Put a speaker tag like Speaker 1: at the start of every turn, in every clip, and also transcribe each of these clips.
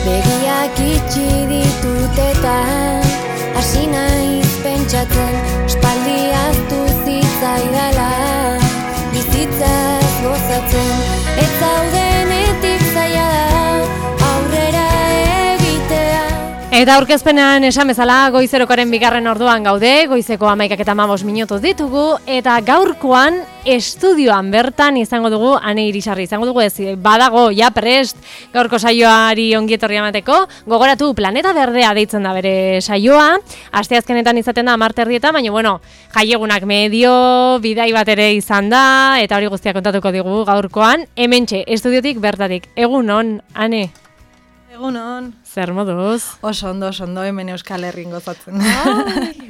Speaker 1: Begiak itxi ditut eta hasi naiz pentsatzen, espaldi ahaztu zitzaidala, bizitzaz gozatzen, ez zaudenetik zaila da aurrera egitea.
Speaker 2: Eta aurkezpenean esan bezala goizerokoaren bigarren orduan gaude, goizeko 11:15 ditugu, eta gaurkoan estudioan bertan izango dugu Ane Irisarri, izango dugu ez, badago, ja prest, gaurko saioari ongietorri emateko, gogoratu Planeta Berdea deitzen da bere saioa, asteazkenetan izaten da 10:30, baina bueno, jaiegunak medio, bidai bat ere izan da, eta hori guztia kontatuko digu gaurkoan, hementxe, estudiotik bertatik, egun on, Ane?
Speaker 3: Egunon.
Speaker 2: Zer moduz?
Speaker 3: Oso ondo, hemen Euskal Herrin gozatzen.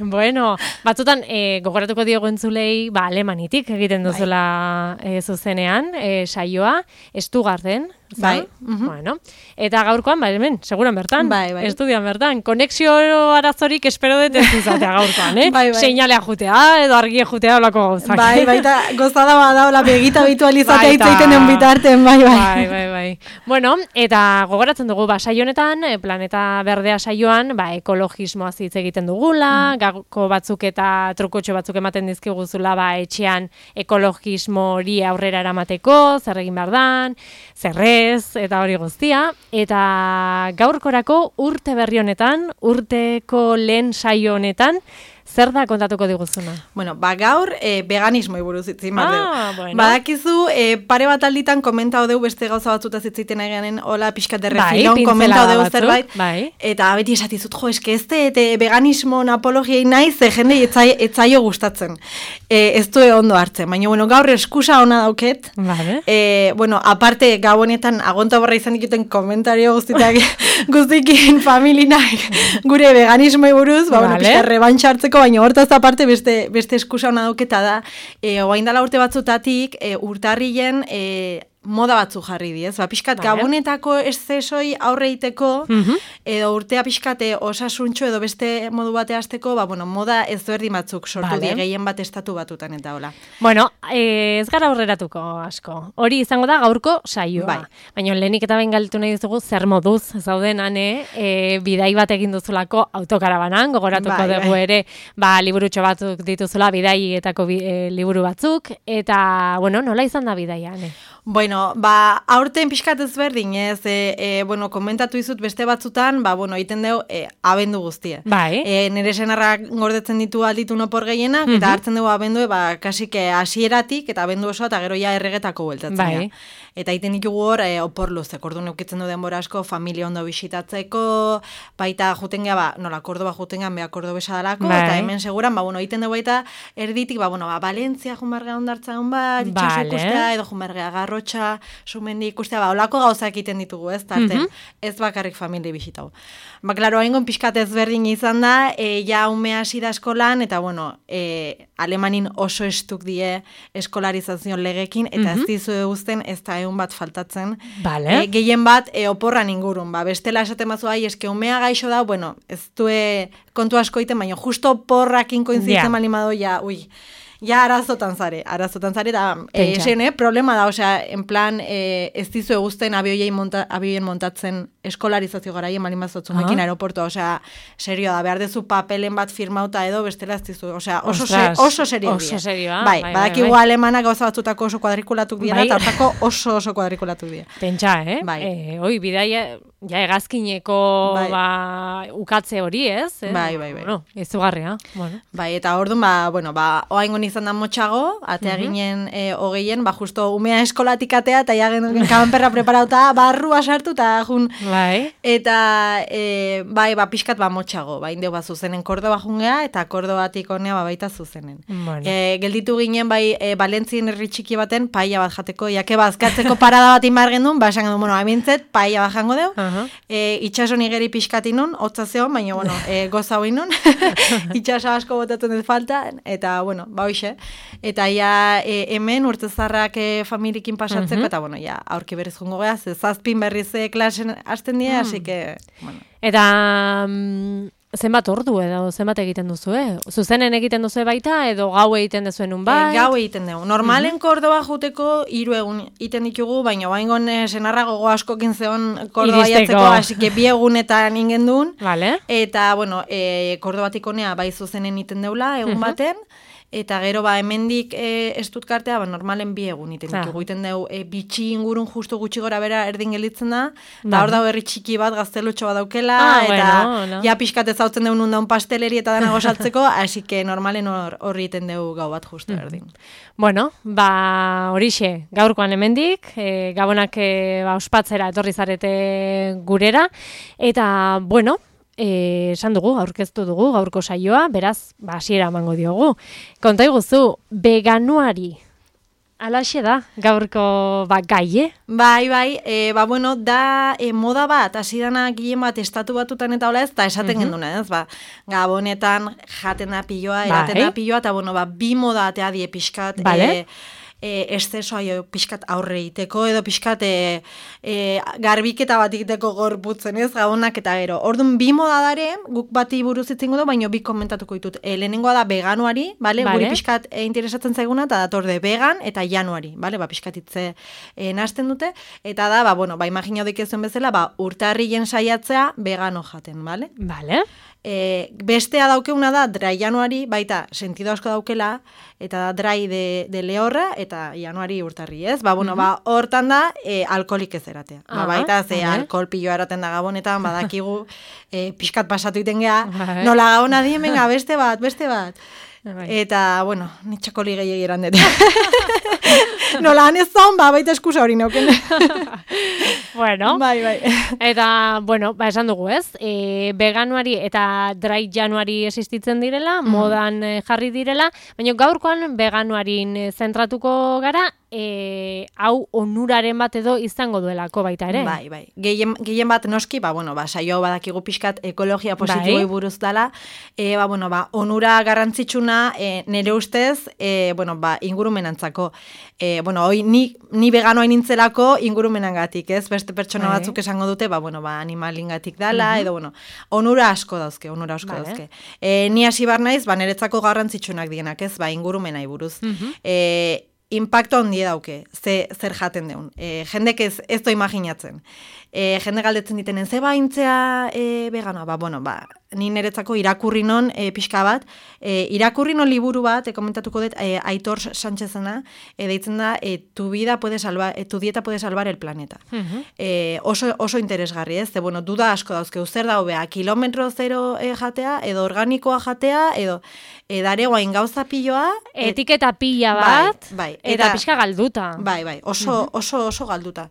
Speaker 2: Bueno, batzutan gogoratuko diogu entzulei, alemanitik egiten duzula zuzenean, saioa, Stuttgarten,
Speaker 3: bai.
Speaker 2: Bueno, eta gaurkoan, hemen, seguran bertan,
Speaker 3: bai.
Speaker 2: Estudian bertan, konexio arazorik espero dut ez izatea gaurkoan,
Speaker 3: bai.
Speaker 2: Seinalea jutea, edo argia jutea olako gauzak.
Speaker 3: Bai, eta gozada bada, hola, begita habitualizatea itzaiten den bitarten, bai.
Speaker 2: Bai. Bueno, eta gogoratzen dugu, saio honetan, Planeta Berdea saioan, ekologismoaz hitz egiten dugula, gako batzuk eta trukotxo batzuk ematen dizkiguzula, etxean ekologismo hori aurrera eramateko, zer egin behar dan, zerrez, eta hori guztia, eta gaurkorako urte berri honetan, urteko lehen saio honetan, zer da kontatuko diguzuna?
Speaker 3: Bueno, gaur veganismoi buruz itzin bat dugu.
Speaker 2: Bueno.
Speaker 3: Badakizu, pare bat alditan komentau dugu beste gauza batzutaz itziten eganen, hola pixkat derrefilon, komentau dugu zerbait. Eta beti esatizut, eske ez veganismo apologiei naiz, jende etzaio gustatzen. Ez du ondo hartzen, baina bueno, gaur eskusa ona dauket. Bueno, aparte, gau honetan agonta borra izan dituten komentario guztikin familinak gure veganismoi buruz, pixkat rebantxa hartzeko, baina hortaz aparte beste eskusa ona dauketa da, oain dela urte batzutatik, urtarrilen moda batzu jarri diez. Pixkat gabonetako eszesoi aurre iteko, edo urtea pixkat osasuntxo edo beste modu bate hasteko, moda ezberdin batzuk sortu die, gehien bat estatu batutan eta hola.
Speaker 2: Bueno, ez gara aurreratuko asko. Hori izango da gaurko saioa. Baina lehenik eta behin galditu nahi duzugu zer moduz zauden Ane, bidai bat egin duzulako autokarabanan, gogoratuko dugu ere, liburutxo batzuk dituzula bidaietako liburu batzuk, eta, bueno, nola izan da bidaia, Ane?
Speaker 3: Bueno, aurten pixkat ezberdin, ez, komentatu izut beste batzutan, egiten dugu abendu guztie. Nire senarrak gordetzen ditu alditu nopor gehienak, eta hartzen dugu abendu, kasik hasieratik, eta abendu osoa, eta gero ja erregetako bueltatzen. Eta egiten ditugu hor, opor luzek, orduan eukitzen du denbora asko, familia ondo bisitatzeko, baita juten geha, nola, Kordoba juten gehan, beha Kordobe sadalako, eta hemen seguran, egiten dugu baita erditik, Valentzia junbargea ondartzen bat, itxaso ikustea, edo junbargea Garrotxa, sumendi ikustea, olako gauzak egiten ditugu, ez, tarten, ez bakarrik familia bisitau. Klaro, haingon pixkat ezberdin izan da, ja ume hasi da eskolan, eta alemanin oso estuk die eskolarizazion legekin, eta ez dizu eguzten ez da egun bat faltatzen. Gehien bat oporran ingurun, bestela esaten bazu, eske umea gaixo da, ez du kontu asko iten, baina justo oporrakin koinzitzen malimado, ja arazotan zare, da, problema da, en plan, ez dizu eguzten abioien montatzen eskolarizazio garaien malimazotzumekin aeroportua, serio da, behar dezu papelen bat firmauta edo, bestela ez dizu, oso serio dira. Badakigu alemanak gauza batzutako oso kuadrikulatuk dira, eta hortako oso kuadrikulatuk dira.
Speaker 2: Pentsa, hoi, bidaia, ja egazkineko ukatze hori, ez? Bueno, izugarria.
Speaker 3: Eta orduan, oaingon izan da motxago, atea ginen hogeien, justo umea eskolatik atea, eta ja genuen kabanperra preparauta, barrua sartu, eta jun. Eta, pixkat motxago, indeu zuzenen Kordoba jungea, eta Kordobatik honea baita zuzenen. Gelditu ginen, Valentzien herri txiki baten, paella bat jateko, jake bazkatzeko parada bat inbar gendun, esan gendun, amintzet, paella bat jango deu, itxaso nigeri pixkat inun, hotza zeon, baina, goza hoi nun, itxaso asko botatzen ez falta, eta, hoxe, eta hemen urtezarrak familiekin pasatzeko, eta, aurki berriz jongo geha, zazpin berriz klasen hasten die, así que,
Speaker 2: Eta zenbat ordu edo zenbat egiten duzu, Zuzenen egiten duzu baita edo gau egiten duzuen unbait?
Speaker 3: Gau egiten dugu. Normalen Kordoba juteko 3 egun egiten ditugu, baina baingon senarra gogo askokin zeon Kordoba jatzeko, hasi que 2 egunetan ingen duen.
Speaker 2: Vale.
Speaker 3: Eta, bueno, Kordobatik honea bai zuzenen egiten deula egun baten, eta gero hemendik Stuttgartea normalen 2 egun egiten ditugu. Egiten dugu bitxi ingurun justu gutxi gora bera erdin gelitzen da, eta hor dago herri txiki bat gaztelutxo bat daukela, eta ja pixkat ezautzen dugu nun daun pasteleri eta danago saltzeko, hasi que normalen horri egiten dugu gau bat justu erdin.
Speaker 2: Bueno, horixe, gaurkoan hemendik, gabonak ospatzera etorri zarete gurera, eta, bueno, esan dugu, aurkeztu dugu, gaurko saioa, beraz, hasiera emango diogu. Konta iguzu, veganuari, alaxe da, gaurko gai,
Speaker 3: Bai, bueno, da moda bat, hasi dana gehien bat estatu batutan eta hola ez, eta esaten genduna, ez, Gabonetan jaten da piloa, eraten da piloa, eta, bueno, 2 moda atea die pixkat, estesoa pixkat aurre egiteko, edo pixkat garbiketa bat egiteko gorputzen, ez, Gabonak eta gero. Orduan 2 moda dare, guk bati buruz itzingo du, baina 2 komentatuko ditut. Lehenengoa da veganuari, guri pixkat interesatzen zaiguna, eta datorde vegan eta januari, pixkat itze nazten dute, eta da, imagina dik ezuen bezala, urtarrien saiatzea vegano jaten, bale?
Speaker 2: Bale.
Speaker 3: Bestea daukeuna da dry januari, baita sentido asko daukela, eta dry de lehorra, eta januari urtarri, ez? Hortan da, alkoholik ez eratea. Baita, alkohol piloa eraten da Gabonetan, badakigu, pixkat pasatu iten geha, nola Gabona dien, venga, beste bat. Eta, bueno, nitxakoli gehiagi eran dut. Nola han ez zaun, baita eskusa hori nauken.
Speaker 2: Bueno,
Speaker 3: bai.
Speaker 2: Eta, bueno, esan dugu ez, veganuari eta dry januari existitzen direla, modan jarri direla, baina gaurkoan veganuarin zentratuko gara, hau onuraren bat edo izango duelako baita ere.
Speaker 3: Bai. Gehien bat noski, saio badakigu pixkat ekologia positiboi buruz dela, onura garrantzitsuna nire ustez, ingurumenantzako. Hoi, ni veganoa nintzelako ingurumenangatik, ez? Beste pertsona batzuk esango dute, animalingatik dala, edo, onura asko dauzke. Ni hasi bar naiz, niretzako garrantzitsunak dienak, ez? Ingurumenai buruz. Impacto handi dauke, zer jaten deun. Jendek ez do imaginatzen. Jende galdetzen ditenen, ze baintzea veganoa? Ni niretzako irakurri non pixka bat. Irakurri non liburu bat, komentatuko dut, Aitor Sánchezena, deitzen da, tu dieta puede salvar el planeta. Oso interesgarri, ez? Duda asko dauzke, zer da hobea, kilometro zero jatea, edo organikoa jatea, edo dare guain gauza piloa.
Speaker 2: Etiketa pila bat, eta pixka galduta.
Speaker 3: Bai, oso galduta.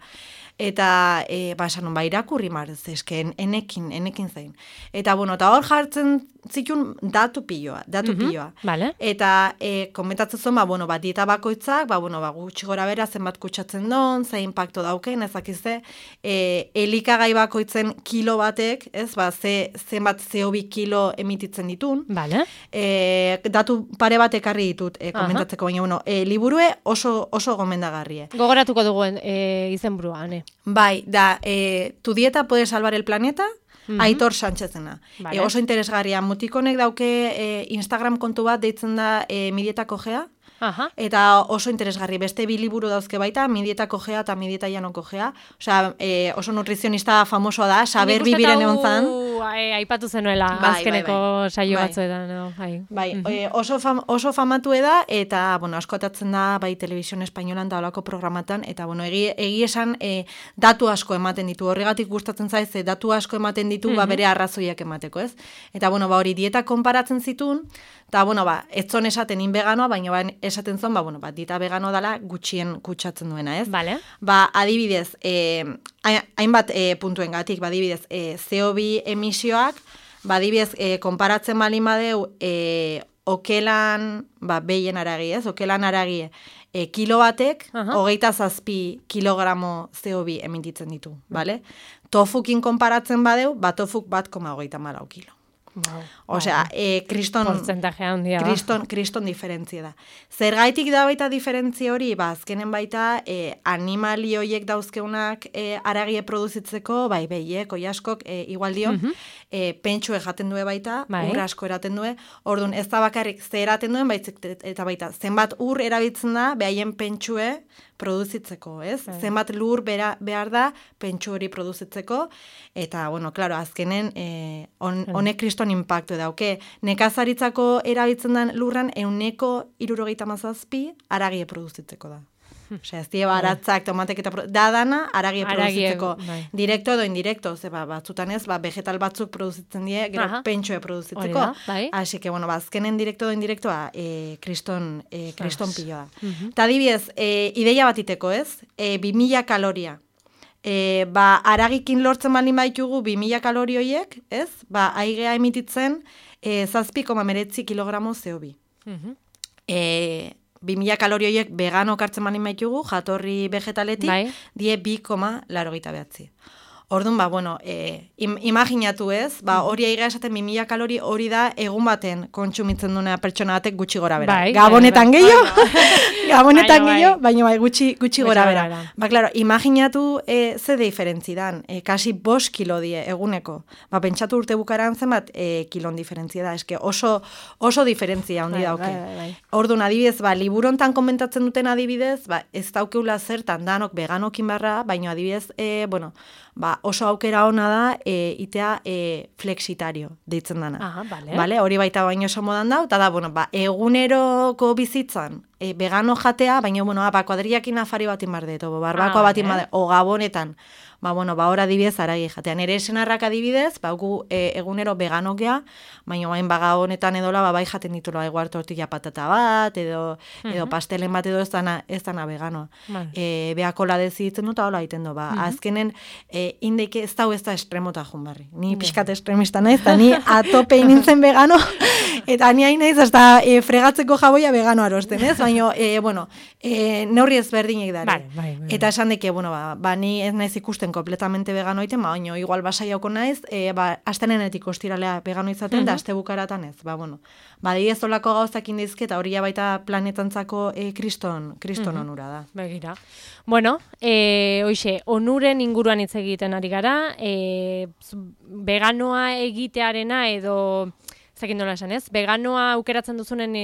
Speaker 3: Eta, esan non, irakurri marez, eske, enekin zain. Eta, eta hor jartzen zitun datu piloa.
Speaker 2: Vale.
Speaker 3: Eta, komentatzen zuen, dieta bakoitzak, gutxi gora bera, zenbat kutsatzen don, ze impacto dauken, ezakizte, elikagai bakoitzen kilo batek, ez, zenbat CO2 kilo emititzen ditun.
Speaker 2: Vale.
Speaker 3: Datu pare bat ekarri ditut, komentatzeko, baina, liburue oso gomendagarrie.
Speaker 2: Gogoratuko duguen izenburua, ane.
Speaker 3: Bai, da, tu dieta puede salvar el planeta, Aitor Sánchezena.
Speaker 2: Vale.
Speaker 3: Oso interesgarria, mutikonek dauke Instagram kontu bat deitzen da mi dieta kojea, eta oso interesgarri, beste 2 liburu dauzke baita, mi dieta kojea eta mi dieta llano kojea. Osea, oso nutrizionista famosoa da, saber bibiren egon zan.
Speaker 2: Aipatu zenuela, azkeneko saio batzuetan.
Speaker 3: Oso famatu da, eta, askotatzen da, bai, Televisión Espainolan da olako programatan, eta, egi esan datu asko ematen ditu, horregatik gustatzen zaiz, datu asko ematen ditu, bere arrazoiak emateko, ez? Eta, hori dieta konparatzen zitun, eta, etzon esaten veganoa, baina esaten zon, dieta vegano dela gutxien kutsatzen duena, ez?
Speaker 2: Vale.
Speaker 3: Adibidez, hainbat puntuen gatik, adibidez, CO2 emisioak, adibidez, konparatzen balin badeu, okelan, behien aragi, ez? Okelan aragi, kilo batek, 27 kilogramo CO2 emititzen ditu, bale? Tofukin konparatzen badeu, tofuk 1,34 kilo. Osea, kriston diferentzia da. Zergaitik da baita diferentzia hori, azkenen baita animali horiek dauzkeunak aragie produzitzeko, bai, behiek, oiaskok, igual dio, pentsue jaten due baita, ur asko eraten due, orduan ez da bakarrik ze eraten duen, eta baita, zenbat ur erabiltzen da, behaien pentsue produzitzeko, ez? Zenbat lur behar da pentsu hori produzitzeko, eta, bueno, klaro, azkenen honek kriston impactu dauke. Nekazaritzako erabiltzen den lurran 177 aragie produzitzeko da. Osea, ez die baratzak, tomatek eta dana aragie produzitzeko. Direkto edo indirekto, ze batzutan ez, vegetal batzuk produzitzen die, gero pentsue produzitzeko. Así que, bueno, azkenen direkto edo indirektoa kriston piloa. Eta adibidez, ideia batiteko, ez? 2000 kaloria. Aragikin lortzen baldin baitugu 2000 kalori horiek, ez? Aigea emititzen 7,9 kilogramo CO2. 2000 kalori horiek vegano kartzen baldin baitugu, jatorri vegetaletik, die 2,89. Orduan, bueno, imaginatu ez, hori aigea esaten 2000 kalori hori da egun baten kontsumitzen duna pertsona batek gutxi gora bera. Gabonetan gehiago, baina gutxi gora bera. Klaro, imaginatu ze diferentzi dan, kasi 5 kilo die eguneko. Pentsatu urte bukaran zenbat kilon diferentzia da, eske oso diferentzia handi dauke. Orduan, adibidez, liburontan komentatzen duten adibidez, ez daukeula zertan danok veganokin barra, baina adibidez, bueno, oso aukera ona da itea flexitario deitzen dana. Hori baita baino oso modan da, eta da, bueno, eguneroko bizitzan vegano jatea, baina, bueno, kuadrillakin afari batin barde, barbakoa batin barde, o gabonetan, hor adibidez aragi jatea. Nere senarrak adibidez, egunero veganokea, baina bain gabonetan edola, bai jaten ditula igual tortilla patata bat, edo pastelen bat edo ez dana veganoa. Beakola dezitzen dut, hola egiten du, azkenen indeke ez da estremota junbarri. Ni pixkat estremista naiz, eta ni atope nintzen vegano, eta ni hain naiz, hasta fregatzeko jaboia vegano arosten, ez? Baina, bueno, neurri ezberdinek dara. Eta esan deke, bueno, ni ez naiz ikusten kompletamente vegano iten, baina igual basaiauko naiz, astenenetik ostiralea vegano izaten, da aste bukaratan ez. Bueno, ez olako gauzak indizke, eta hori baita planetantzako kriston onura da.
Speaker 2: Begira. Bueno, hoxe, onuren inguruan hitz egiten ari gara, veganoa egitearena edo zekin dola esan, ez? Veganoa aukeratzen duzunen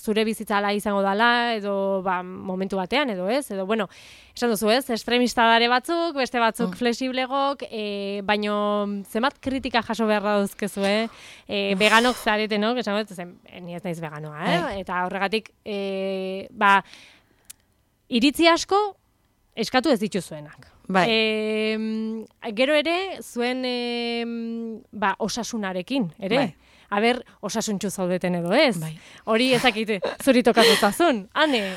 Speaker 2: zure bizitzala izango dala, edo momentu batean, edo ez? Edo, bueno, esan duzu, ez? Estremista dare batzuk, beste batzuk flexiblegok, baino zenbat kritika jaso behar dauzkezu, veganok zarete, no? Esan dut, ni ez naiz veganoa, eta horregatik, iritzi asko eskatu ez dituzuenak. Gero ere, zuen osasunarekin, ere? Aber, osasuntxu zaudeten edo ez? Hori ezakite, zuri tokatutazun, ane?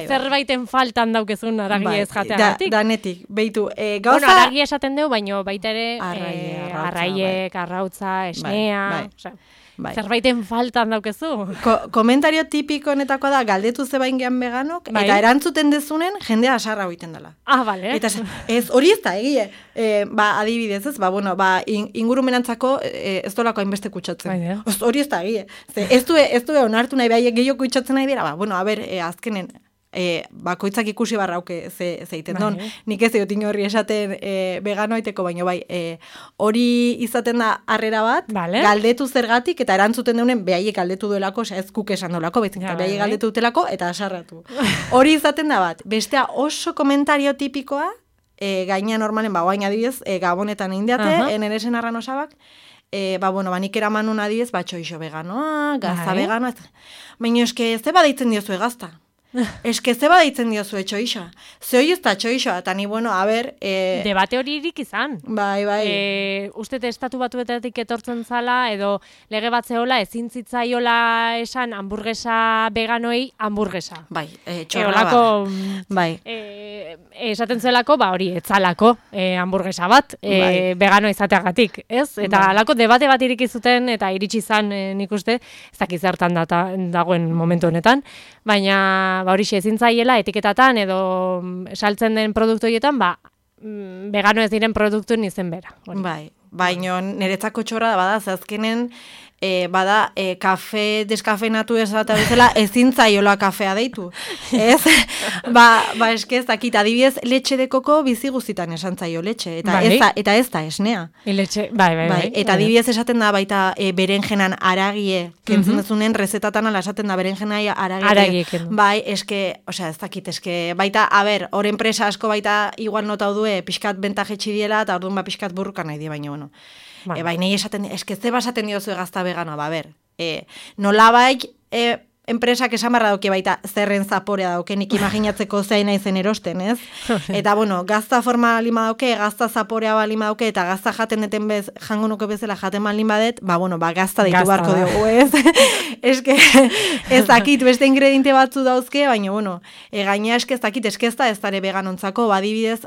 Speaker 2: Zerbaiten faltan daukezun aragia ez jateagatik?
Speaker 3: Danetik, behitu.
Speaker 2: Bueno, aragia esaten dugu, baino baita ere arraiek, arrautza, esnea... Zerbaiten faltan daukezu.
Speaker 3: Komentario tipiko honetako da, galdetu zebain gehan veganok, eta erantzuten dezunen, jendea asarra hoiten dela.
Speaker 2: Bale.
Speaker 3: Eta hori ez da, egie. Adibidez, ez, ingurumenantzako ez dolako hainbeste kutsatzen. Hori ez da, egie. Ez du onartu nahi, behaiek gehiago kutsatzen nahi dira, azkenen, bakoitzak ikusi barrauke zeiten don. Nik ez egotin horri esaten vegano aiteko, baino hori izaten da harrera bat, galdetu zergatik, eta erantzuten deunen behaiek galdetu duelako, ez kuk esan duelako, behaiek galdetu dutelako, eta asarratu. Hori izaten da bat. Bestea oso komentario tipikoa, gaina normalen, guain adibidez, gabonetan eindeate, nere senarran osabak, nik eraman un adibidez, txoixo veganoa, gaza veganoa, baina eske ez deitzen diozu egazta. Eske zeba deitzen diozu txoixa. Ze hori ez da txoixa, eta ni,
Speaker 2: debate hori irik izan. Uste estatu batuetatik etortzen zala, edo lege bat zehola, ezin zitzaiola esan hamburguesa veganoei hamburguesa.
Speaker 3: Txorra
Speaker 2: esaten zuelako, hori, etzalako hamburguesa bat, vegano izateagatik, ez? Eta alako debate bat irik izuten, eta iritsi izan nik uste, ez dakiz zertan dagoen momentu honetan, baina hori ezin zaiela etiketatan edo saltzen den produktu horietan, vegano ez diren produktuen izen bera.
Speaker 3: baino niretzako txorra bada, azkenen bada, kafe deskafeinatu esata bezala, ezin zaiola kafea deitu. Ez? Eske ez dakit, adibidez, letxe de koko bizi guztitan esan zaio letxe, eta ez da esnea.
Speaker 2: Bai.
Speaker 3: Eta adibidez esaten da baita berenjenan aragie, kentzen dezunen rezetatan ala esaten da berenjenai aragie. Bai, eske, osea, ez dakit, eske, baita, hor enpresa asko baita igual notau due, pixkat bentajetxi diela, eta orduan pixkat burruka nahi di, baina, bueno. Bai, nahi esaten, eske zeba esaten diozu gazta veganoa, nolabaik enpresak esan barra dauke baita zerren zaporea dauke, nik imaginatzeko zein naizen erosten, ez? Eta, bueno, gazta forma lima dauke, gazta zaporea balima dauke, eta gazta jaten deten jango nuke bezala jaten balin badet, gazta ditu barko dugu, ez? Eske, ez dakit, beste ingrediente batzu dauzke, baina, bueno, gaina eske ez dakit, eske ez da ez dare veganontzako, adibidez,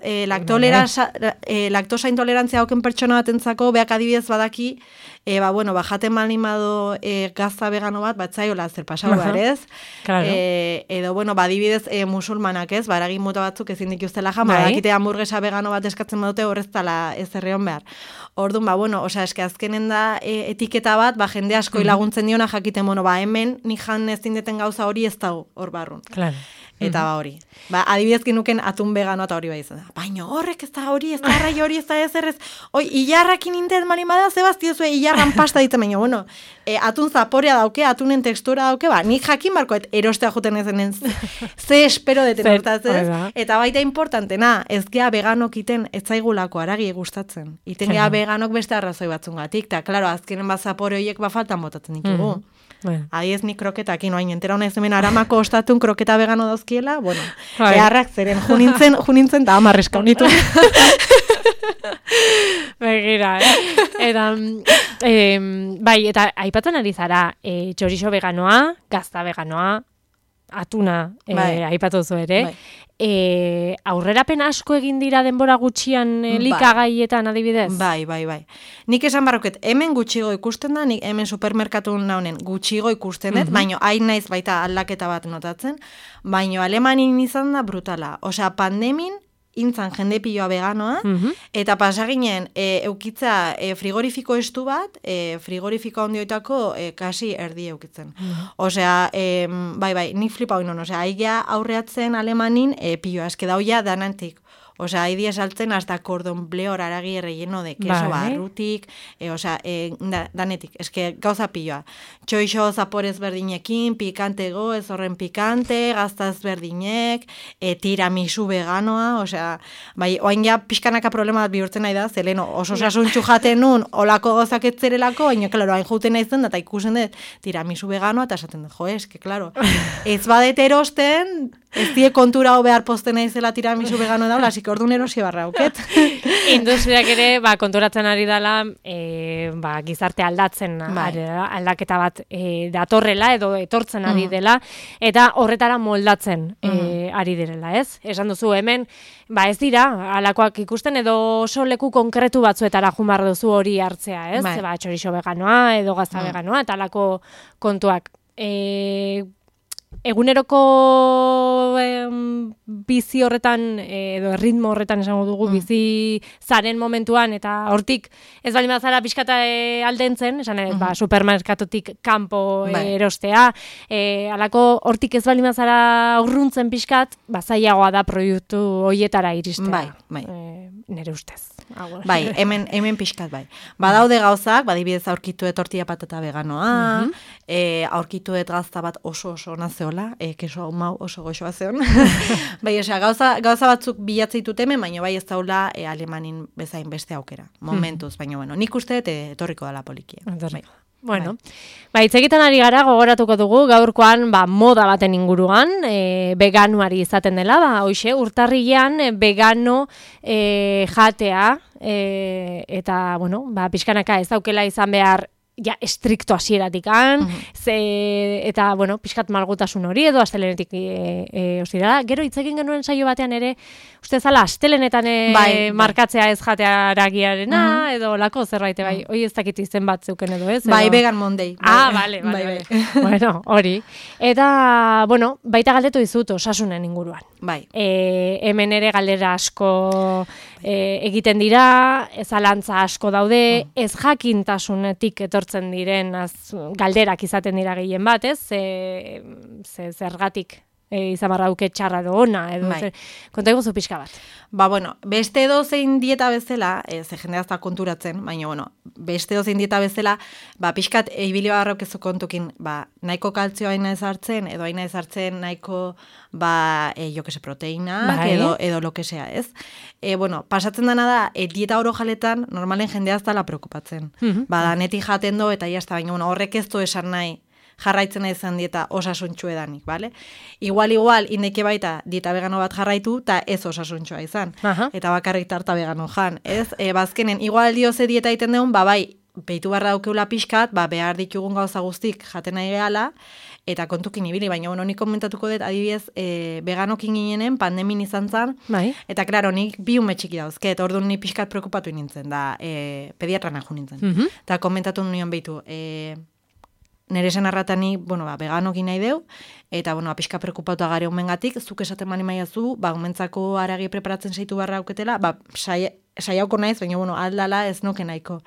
Speaker 3: laktosa intolerantzia dauken pertsona batentzako, beak adibidez badaki, jaten malimado gazta vegano bat, batzaiola zer pasau behar, ez?
Speaker 2: Claro.
Speaker 3: Edo, adibidez musulmanak, ez? Baragin mota batzuk ezin dituztela jan, badakite hamburguesa vegano bat eskatzen badute horrez tala ez erreon behar. Orduan, eske azkenen da etiketa bat, jende asko laguntzen diona jakiten, hemen nik jan ezin deten gauza hori ez dago hor barrun.
Speaker 2: Claro.
Speaker 3: Eta hori. Adibidez genuken atun vegano eta hori izan da. Baina horrek ez da hori, ez da arrai hori, ez da ez errez. Ilarrakin intet malimada, zebaztiozue ilarran pasta ditzen, baina, atun zaporea dauke, atunen tekstura dauke, nik jakin barkoet erostea juten ezen ze espero deten hortaz, ez? Eta baita importantena, ez gea veganok iten ez zaigulako aragi gustatzen. Iten gea veganok beste arrazoi batzungatik, eta, klaro, azkenen zapore horiek faltan botatzen ditugu. Adiez nik kroketakin, oain, entera hona ez hemen aramako ostatun kroketa vegano dauzkiela, beharrak zeren, junintzen eta amarreska honitu.
Speaker 2: Begira, Eta, eta aipatzen ari zara, txorizo veganoa, gazta veganoa, atuna, aipatu zu ere, aurrerapen asko egin dira denbora gutxian likagaietan adibidez?
Speaker 3: Bai. Nik esan barroket, hemen gutxigo ikusten da, nik hemen supermerkatu naunen gutxigo ikusten dut, baina hain naiz baita aldaketa bat notatzen, baina Alemanin izan da brutala. Osea, pandemin, intzan jende piloa veganoa, eta pasaginen eukitza frigorifiko estu bat, frigorifiko handioetako kasi erdi eukitzen. Osea, bai, nik flipa hoinon, osea, aigea aurreatzen Alemanin piloa, eske dauia danantik. Osea, haidi esaltzen hasta cordon bleu aragi relleno de queso barrutik, danetik, eske gauza piloa. Txoixo zaporez berdinekin, pikantego, ez horren pikante, gaztaz berdinek, tiramisu veganoa, osea, bai, oain ja pixkanaka problema bat bihurtzen nahi da, zeleno oso sasuntxu jaten nun, olako gozak etzerelako, baina, klaro, hain juten nahi zen, eta ikusen dut tiramisu veganoa, eta esaten dut, eske, klaro, ez badet erosten, ez die kontura behar posten naizela tiramisu vegano daula, asik orduan erosi barra auket.
Speaker 2: Industriak ere, konturatzen ari dela, gizarte aldatzen, aldaketa bat datorrela, edo etortzen ari dela, eta horretara moldatzen ari direla, ez? Esan duzu hemen, ez dira, alakoak ikusten, edo oso leku konkretu batzuetara jumar duzu hori hartzea, ez? Txorizo veganoa, edo gazta veganoa, eta alako kontuak. Eguneroko bizi horretan, edo ritmo horretan esango dugu, bizi zaren momentuan, eta hortik ez bali mazara pixkata aldentzen, esan supermerkatotik kanpo erostea, alako hortik ez bali mazara urruntzen pixkat, zailagoa da proiektu hoietara iristea.
Speaker 3: Bai.
Speaker 2: Nere ustez.
Speaker 3: Bai, hemen pixkat bai. Badaude gauzak, badibidez aurkituet tortilla patata veganoa, aurkituet gazta bat oso nazeola, keso mau oso goxoa zeon. Bai, gauza batzuk bilatzeitu hemen, baina bai ez daula Alemanin bezain beste aukera. Momentuz, baina nik uste etorriko dala polikia.
Speaker 2: Bueno, hitz egiten ari gara, gogoratuko dugu, gaurkoan moda baten inguruan, veganuari izaten dela, hoxe, urtarrilean vegano jatea, eta, pixkanaka ez daukela izan behar estrikto hasieratikan, eta, pixkat malgutasun hori edo astelenetik ostirala. Gero hitz egin genuen saio batean ere, uste zala astelenetan markatzea ez jatearagiarena, edo lako zerbait, hoi ez dakit izen bat zeuken edo ez?
Speaker 3: Bai, Vegan Monday.
Speaker 2: Bale. Bueno, hori. Eta, baita galdetu dizut osasunen inguruan.
Speaker 3: Bai.
Speaker 2: Hemen ere galdera asko egiten dira, zalantza asko daude, ez jakintasunetik etortzen diren galderak izaten dira gehien bat, ez? Zergatik izan barra duke txarra edo ona, edo konta iguzu pixka bat.
Speaker 3: Bueno, beste edozein dieta bezala, ze jendea ez da konturatzen, baina, beste edozein dieta bezala, pixkat ibili barrauk ezu kontukin, nahiko kaltzioa aina ez hartzen, edo aina ez hartzen nahiko, proteinak, edo lo que sea, ez? Pasatzen dena da, dieta oro jaletan, normalen jendea ez dala preokupatzen. Danetik jaten do, eta jazta, baina horrek ez du esan nahi, jarraitzen izan dieta osasuntxu edanik, bale? Igual, indeke baita dieta vegano bat jarraitu, eta ez osasuntxua izan. Eta bakarrik tarta vegano jan, ez? Bazkenen, igual dioze dieta egiten deun, behitu barra daukeula pixkat, behar ditugun gauza guztik jaten nahi gehala, eta kontukin ibili, baina nik komentatuko dut, adibidez, veganokin ginenen, pandemin izan zan, eta klaro, nik bi ume txiki dauzket, orduan ni pixkat preokupatu nintzen, da pediatra nahu nintzen. Eta komentatu nion behitu, nire senarratani, veganokin nahi deu, eta, pixka preokupatu agare umengatik, zuk esaten mani maiazu, umentzako aragi preparatzen saitu barra auketela, saiauko naiz, baina, aldala ez nuke nahiko.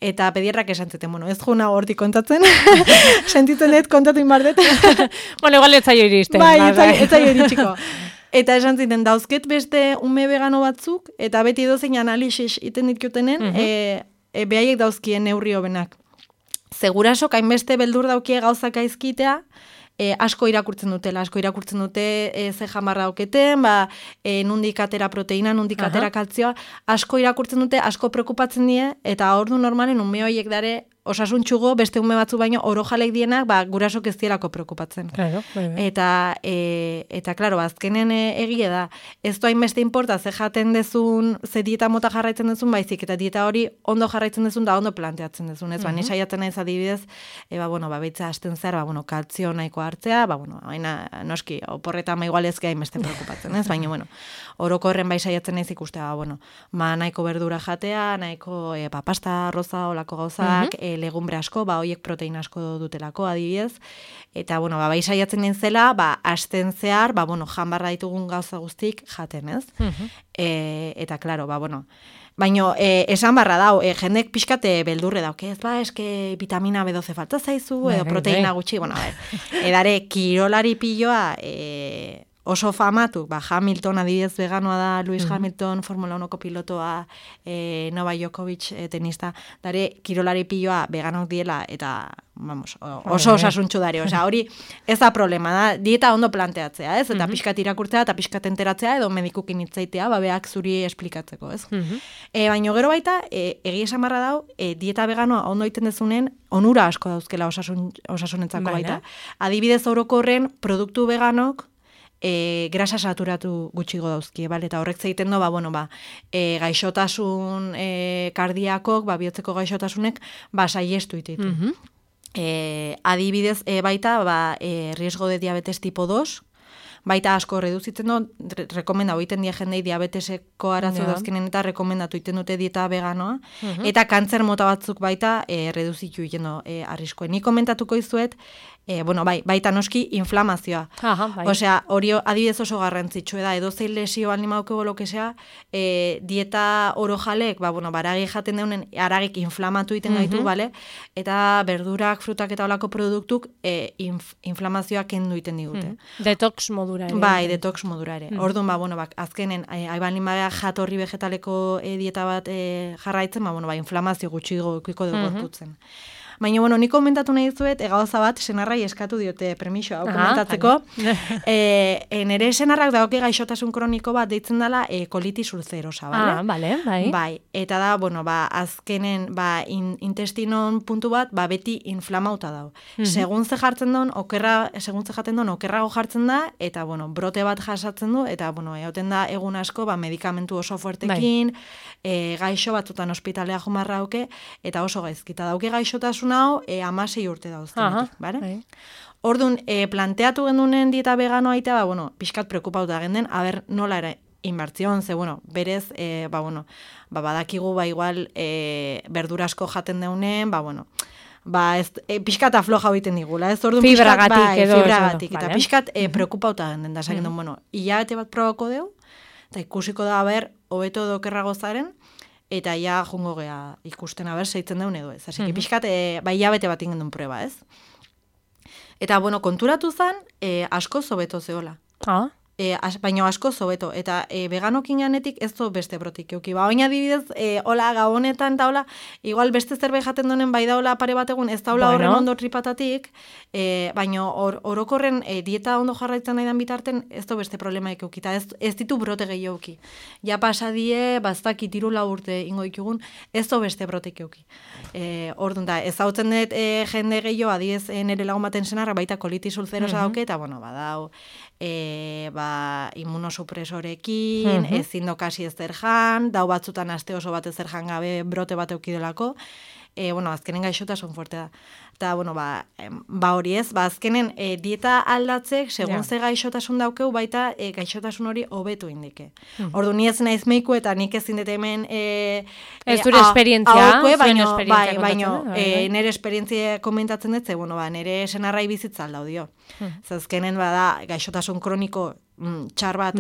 Speaker 3: Eta pediatrak esan zuten, ez juna hortik kontatzen, sentitzen dut kontatu inbardet.
Speaker 2: Igual ez zaio iristen.
Speaker 3: Ez zaio iritsiko. Eta esan ziten, dauzket beste ume vegano batzuk, eta beti dozein analizis iten ditkutenen, behaiek dauzkien neurri hobenak. Seguraso, hainbeste beldur daukie gauzak aizkitea, asko irakurtzen dute ze jamarra dauketen, nundik atera proteina, nundik atera kaltzioa, asko irakurtzen dute, asko preokupatzen die, eta ordu normalen ume horiek dare osasuntxugo, beste ume batzu baino, oro jalek dienak, gurasok ez dielako preokupatzen. Eta, klaro, azkenen egie da, ez du hainbeste importa, ze jaten dezun, ze dieta mota jarraitzen dezun, baizik, eta dieta hori ondo jarraitzen dezun, da ondo planteatzen dezun, ez? Nisaiatzen naiz adibidez, beitza hasten zer, kaltzio nahiko hartzea, baina, noski, oporreta igual ez hainbeste preokupatzen, ez? Baina, orokorren saiatzen naiz ikustea, nahiko berdura jatea, nahiko pasta, arroza, olako gauzak, legumbre asko, hoiek proteina asko dutelako, adibidez, eta, saiatzen nintzela, asten zehar, jan barra ditugun gauza guztik jaten, ez? Eta, klaro, baina, esan barra dau, jendek pixkate beldurre dauk, ez eske vitamina B12 falta zaizu, edo proteina gutxi, edare, kirolari piloa, oso famatu, Hamilton adibidez veganoa da, Lewis Hamilton, Formula 1ko pilotoa, Novak Djokovic tenista, dare kirolari piloa veganok diela, eta, oso osasuntxu dare, hori ez da problema, da, dieta ondo planteatzea, ez? Eta pixkat irakurtzea, eta pixkat enteratzea, edo medikukin hitzaitea, beak zuri esplikatzeko, ez? Baina gero baita, egia esamarra dau, dieta veganoa ondo egiten dezunen, onura asko dauzkela osasunentzako baita. Adibidez orokorren, produktu veganok, grasa saturatu gutxigo dauzkie, eta horrek zeiten do, gaixotasun kardiakok, bihotzeko gaixotasunek, saiestu ititu. Adibidez, baita, riesgo de diabetes tipo 2, baita asko reduzitzen do, rekomendatu egiten die jendei diabeteseko arazo dauzkenen eta rekomendatu egiten dute dieta veganoa, eta kantzer mota batzuk baita reduzitu egiten do arriskoen. Ni komentatuko izuet, baita noski inflamazioa. Osea, hori adibidez oso garrantzitsua da, edozein lesio animaukego lokesea, dieta oro jalek, baragi jaten deunen, aragik inflamatu egiten gaitu, eta berdurak, frutak eta olako produktuk inflamazioa kendu egiten digute.
Speaker 2: Detox modura ere.
Speaker 3: Detox modura ere. Orduan, azkenen, haiban jatorri vegetaleko dieta bat jarraitzen, inflamazio gutxigo ikiko dugu gorputzen. Baina, nik komentatu nahi zuet, gauza bat, senarrai eskatu diote permiso hau komentatzeko. Nere senarrak dagoke gaixotasun kroniko bat deitzen dela kolitis ulcerosa, bale? Bai. Eta da, azkenen, intestinon puntu bat, beti inflamauta dau. Segun ze jaten don, okerrago jartzen da, eta, brote bat jasatzen du, eta, egoten da, egun asko, medikamentu oso fuertekin, gaixo batzutan ospitalea jumarra dauke, eta oso gaizkita dauke gaixotasun hau 16 urte dauzkenetik, bale? Orduan, planteatu gendunen dieta veganoa aitea, pixkat preokupauta genden, nola ere inbertzion, ze, berez, badakigu, igual, berdurasko jaten deunen, pixkat afloja egiten digula, ez? Fibragatik, eta pixkat preokupauta genden, da, hilabete bat probako deu, eta ikusiko da, hobeto dokerrago zaren, eta ja jungo gea ikusten aber seitzen daun edo ez. Así que pixkat, bai hilabete bat ingen duen prueba, ez? Eta, bueno, konturatu zen, asko zobeto zeola. Baina asko zobeto, eta veganokin janetik ez zo beste brotik euki. Baina adibidez, hola gabonetan eta hola, igual beste zerbait jaten donen bai daula pare bat egun, ez daula horren ondo tripatatik, baina orokorren dieta ondo jarraitzen nahi dan bitarten, ez do beste problemaik euki, eta ez ditu brote gehiago euki. Ja pasadie, baztak itiru urte ingo ikugun, ez do beste brotik euki. Orduan da, ez hautzen dut jende gehiago, adiez nire lagun baten senarra, baita kolitis ulcerosa dauke, eta bueno, badau, immunosupresorekin, ezin dokasi ez zerjan, dau batzutan aste oso bat ez zerjan gabe brote bat eukidelako, azkenen gaixotasun fuerte da. Eta, hori ez, azkenen dieta aldatzek, segun ze gaixotasun daukeu, baita gaixotasun hori hobetu indike. Ordu, ni ez naiz meiku eta nik ezin dut hemen
Speaker 2: ez dure esperientzia,
Speaker 3: baina nire esperientzia komentatzen dut, nire senarrai bizitza aldaudio. Azkenen bada gaixotasun kroniko txar bat,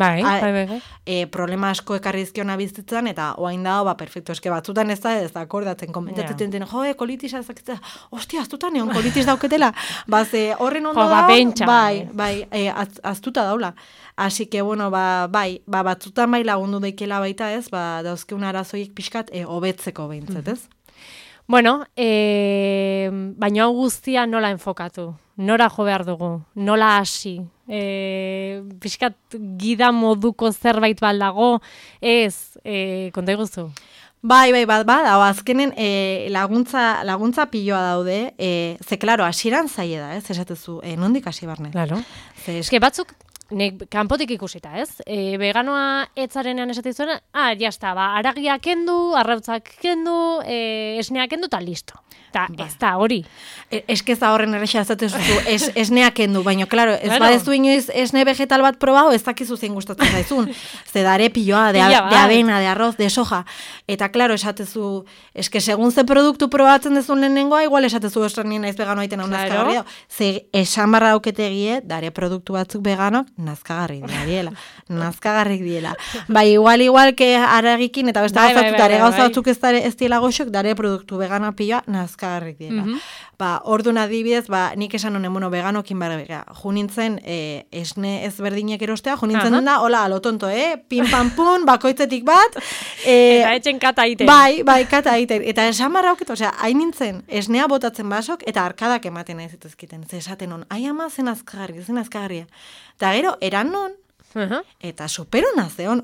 Speaker 3: problema asko ekarrizkiona bizitzan, eta oain dago, perfecto, eske batzutan ez da akordatzen, komentatzen den, kolitisa ezakitzea, ostia, aztuta neon kolitis dauketela, horren ondo aztuta daula. Así que, batzutan bai lagundu daikela baita ez, dauzkeun arazoiek pixkat hobetzeko behintzet, ez?
Speaker 2: Bueno, baina hau guztia nola enfokatu? Nora jo behar dugu? Nola hasi? Pixkat gida moduko zerbait baldago? Ez, konta iguzu?
Speaker 3: Bai, azkenen laguntza piloa daude, ze, klaro, hasieran zaie da, ez, esatezu, nondik hasi barne.
Speaker 2: Claro. Eske batzuk, nek kanpotik ikusita, ez? Veganoa etzarenean esatezuena, jazta, aragia kendu, arrautzak kendu, esnea kendu, eta listo. Ez da, hori.
Speaker 3: Eskeza horren errexea ezatezu, esnea kendu, baina, klaro, ez badezu inoiz esne vegetal bat probau, ez dakizu zein gustatzen zaizun. Ze dare piloa, de avena, de arroz, de soja. Eta, klaro, esatezu, eske segun ze produktu probatzen dezun lehenengoa, igual esatezu estranien naiz vegano aiten hau nazkagarri. Ze esan barra dauketegie, dare produktu batzuk veganok, nazkagarri diela. Igual que aragikin, eta beste gauzatzuk, dare gauzatzuk ez diela goxok, dare produktu vegano piloa, nazkagarrik diela. Orduan adibidez, nik esan honen, veganokin junintzen esne ezberdinek erostea, junintzen dena, hola, alotonto, pin pan pun, bakoitzetik bat.
Speaker 2: Eta etxen kata iten.
Speaker 3: Bai, kata iten. Eta esan barra hauket, hain nintzen, esnea botatzen basok, eta arkadak ematen ez ezkiten. Ze esaten hon, ama zen azkagarria. Eta gero, eran non, eta superona zeon,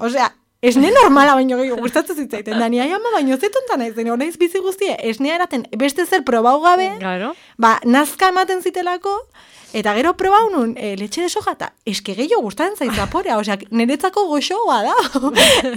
Speaker 3: esne normala baino gehiago gustatzen zitzaiten, da ni ama baino zetonta naizen, honaiz bizi guztie, esnea eraten beste zer probau gabe, nazka ematen zitelako, eta gero probau nun letxe de soja, eta eske gehiago gustatzen zait zaporea, niretzako goxoa da.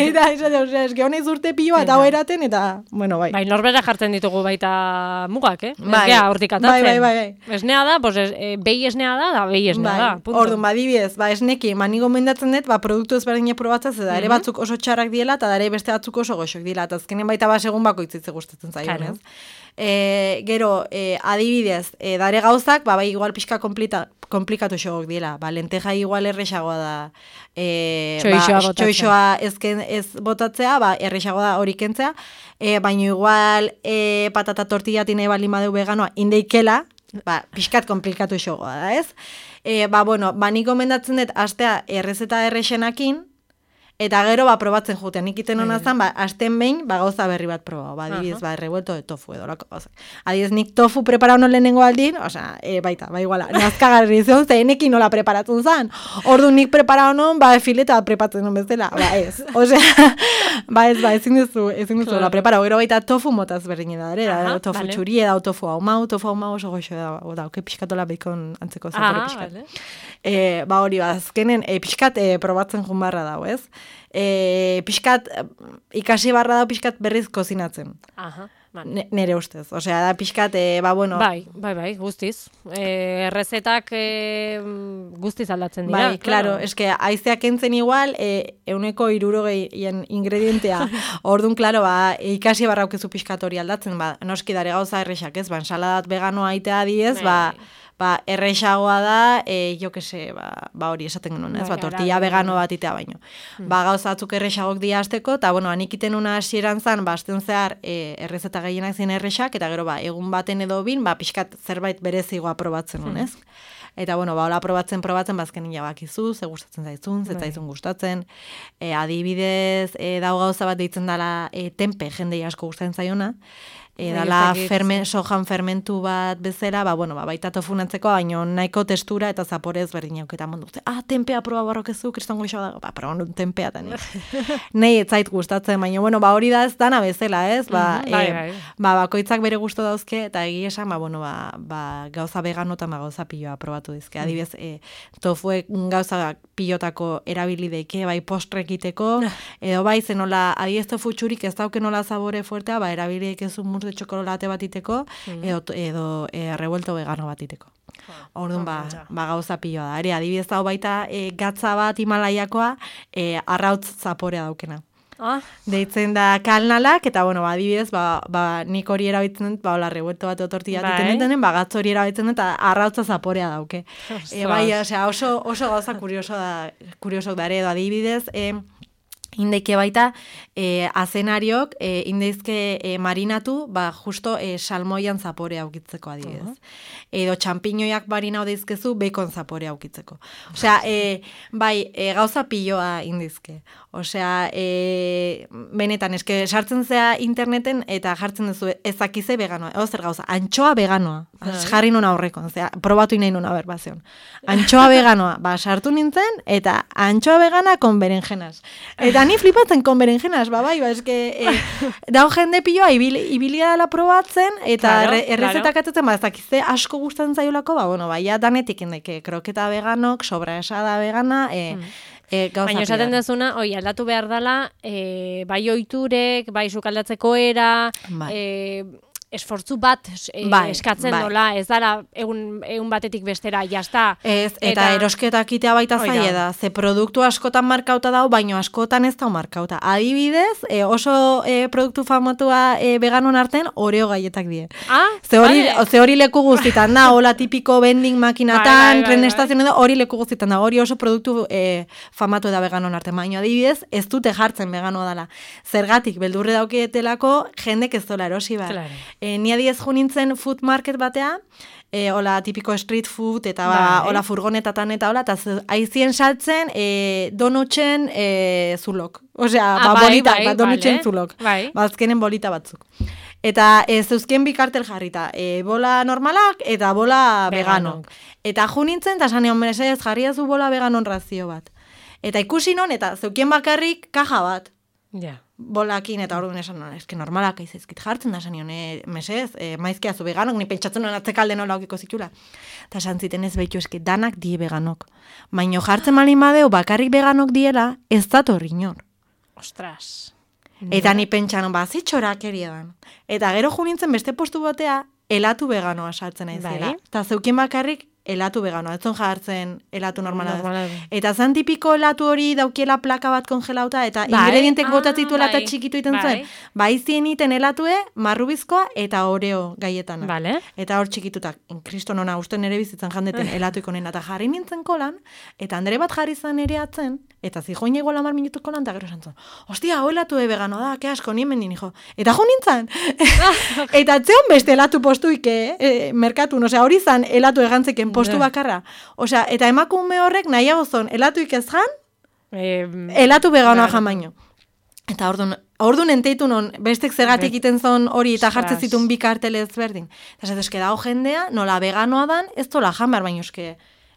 Speaker 3: Eta eske honaiz urte piloa eta hau eraten, eta, bai.
Speaker 2: Bai, norbera jartzen ditugu baita mugak, Ez gea hortik atatzen.
Speaker 3: Bai.
Speaker 2: Esnea da, behi esnea da behi esnea da.
Speaker 3: Orduan, badibidez, esneki, mani gomendatzen dut, produktu ezberdina probatzen, eta ere batzuk oso txarrak diela, eta dare beste batzuk oso goxok dila, eta azkenen baita segun bakoitzitze gustatzen zaion, ez? Gero, adibidez, dare gauzak, igual pixka komplikatu xogok diela, lenteja igual errexagoa da, txoixoa ez botatzea, errexagoa da hori kentzea, baina igual patata tortillatin baldin badeu veganoa indeikela, pixkat komplikatu xogoa da, ez? Nik gomendatzen dut, astea errezeta errexenakin, eta gero probatzen juten, nik iten hona zan, asten behin, gauza berri bat probau, adibidez, revuelto de tofu edo lako gauzak. Adibidez, nik tofu preparau non lehenengo aldin, baita, iguala, nazkagarri zion, ze enekin nola preparatzen zan. Ordu nik preparau non, fileta prepatzen non bezala, ez. Ezin duzu la preparau, gero baita tofu motaz berdin da, tofu txuri edau tofu hau oso goxo da, pixkatola beikon antzeko zapore pixkat. Hori, azkenen, pixkat probatzen jun barra dau, ez? Pixkat, ikasi barra da pixkat berriz kozinatzen. Nere ustez. Da pixkat,
Speaker 2: Bai, guztiz. Errezetak guztiz aldatzen dira.
Speaker 3: Bai, klaro, eske haizeak entzen igual, 160 ingredientea. Orduan, klaro, ikasi barra aukezu pixkat hori aldatzen, noski dare gauza errexak, ez? Ensaladat veganoa aitea diez, ba, errexagoa da, jo que se, ba hori esaten genuen, ez? Ba, tortilla vegano bat itea baino. Ba, gauzatzuk errexagok dia azteko, eta, bueno, anikiten una hasieran zan, ba, azten zehar, errezeta gehienak zien errexak, eta gero, ba, egun baten edo bin, ba, pixkat zerbait berezigoa probatzen nuen, ez? Eta, bueno, ba, hola probatzen, bazken bakizu, ze gustatzen zaizun, ze zaizun gustatzen. Adibidez, dau gauza bat deitzen dela tempe, jendei asko gustatzen zaiona. Dala sojan fermentu bat bezala, ba, bueno, ba, baita tofunatzeko, baino nahiko testura eta zaporez berdin auketan mundu. Tempea proba barrokezu, kriston goixo da, ba, proba nun tempea eta nei ez zait gustatzen, baina, bueno, ba, hori da ez dana bezala, ez? Ba, bakoitzak bere gusto dauzke, eta egia esan, ba, bueno, ba, gauza vegano eta gauza piloa probatu dizke. Adibidez, tofuek gauza pilotako erabilideike, bai postrekiteko, edo bai zenola, adibidez tofu txurik ez dauke nola zabore fuertea, ba, erabilideik ez de txokolate bat iteko, edo revuelto vegano bat iteko. Orduan, ba, gauza piloa da. Ere, adibidez hau baita gatza bat Himalaiakoa arrautz zaporea daukena. Deitzen da kalnalak, eta, bueno, adibidez, nik hori erabiltzen dut, hola, revuelto bat otortilla diten duten, gatz hori erabiltzen dut, eta arrautza zaporea dauke. Bai, oso gauza kuriosok da, edo adibidez, indeike baita, azenariok, indeizke marinatu, ba, justo salmoian zapore aukitzeko adibidez. Edo txampiñoiak marinau deizkezu, bacon zapore aukitzeko. Osea, bai, gauza piloa indizke. Osea, benetan, eske, sartzen zea interneten, eta jartzen duzu ezakize veganoa. Zer gauza, antxoa veganoa. Jarri nuna horrekon, probatu inain nuna berbazion. Antxoa veganoa, ba, sartu nintzen, eta antxoa vegana kon berenjenas. Eta ni flipatzen kon berenjenas, bai, eske, dau jende piloa, ibilia dela probatzen, eta errezetak atetzen, ba, ezakize asko gustatzen zaiolako, ba, bueno, ja danetik indeke, kroketa veganok, sobraesada vegana,
Speaker 2: baina esaten dezuna, aldatu behar dela, bai oiturek, bai sukaldatzeko era, esfortzu bat eskatzen dola, ez dara egun batetik bestera, jazta.
Speaker 3: Ez, eta erosketak itea baita zaila da, ze produktu askotan markauta dau, baino askotan ez dau markauta. Adibidez, oso produktu famatua veganon arten, Oreo gaietak die. Ze hori leku guztitan da, hola tipiko vending makinatan, tren estazioen edo, hori leku guztitan da, hori oso produktu famatu da veganon arten. Baino adibidez, ez dute jartzen veganoa dela. Zergatik, beldurre daukietelako, jendek ez dola erosi behar. Ni adiez jo nintzen food market batea, hola tipiko street food, eta hola furgonetatan eta hola, eta aizien saltzen donutxen zulok. Osea, donutxen zulok. Azkenen bolita batzuk. Eta zeuzkien bikartel jarrita, bola normalak eta bola veganok. Eta jo nintzen, eta sanean meresez jarri azu bola veganon razio bat. Eta ikusi non, eta zeukien bakarrik kaja bat. Bolakin, eta orduan esan, eske normalak aizizkit jartzen da, zanion, mesez, maizkia zu veganok, ni pentsatzen nuen atzekalde nola aukiko zitula. Eta esan ziten ez behitu, eske danak die veganok. Baino jartzen malin badeu, bakarrik veganok diela, ez dator inor.
Speaker 2: Ostras.
Speaker 3: Eta ni pentsan, zitxorak eriadan. Eta gero jo nintzen beste postu batea, elatu veganoa saltzen aizela. Eta zeukien bakarrik, elatu veganoa, etzon jartzen elatu normala. Eta zan tipiko elatu hori daukiela plaka bat kongelauta, eta ingredientek botatzituela eta txikitu iten zuen. Izien iten elatue, marrubizkoa eta Oreo gaietana. Eta hor txikitutak, kriston ona, uste nere bizitzen jandeten elatu ikonen, eta jarri nintzen kolan, eta andere bat jarri zan ere atzen, eta zijoin ego 10 minutuko lan, eta gero santzun, hostia, hau elatu vegano da, ke asko, nien mendin, hijo. Eta jo nintzen. Eta atzeon beste elatu postuike, merkatun, osea, hori zan elatu egantzeken postu bakarra. Osea, eta emakume horrek nahiago zon, elatuik ez jan, elatu veganoa jan baino. Eta orduan enteitu non, bestek zergatik iten zon hori eta jartzen zitun bi kartele ezberdin. Eta eske dago jendea, nola veganoa dan, ez tola jan behar baino eske.